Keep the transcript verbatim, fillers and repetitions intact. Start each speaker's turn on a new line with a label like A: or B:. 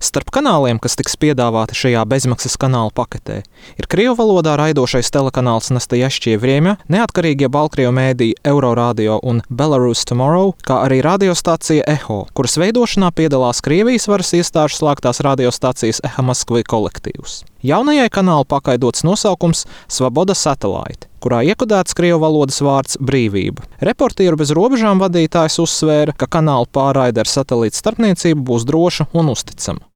A: Starp kanāliem, kas tiks piedāvāti šajā bezmaksas kanāla paketē, ir krievu valodā raidošais telekanāls Nastajašķie Vriemja, neatkarīgie Baltkrievu mēdīji Euroradio un Belarus Tomorrow, kā arī radiostācija Eho, kuras veidošanā piedalās Krievijas varas iestāžu slēgtās radiostācijas Eha Maskvi kolektīvs. Jaunajai kanāla pakai dots nosaukums Svaboda Satellite, kurā iekodēts krievu valodas vārds brīvība. Reportieru bez robežām vadītājs uzsvēra, ka kanāla pārraide ar satelīta starpniecību būs droša un uzticama.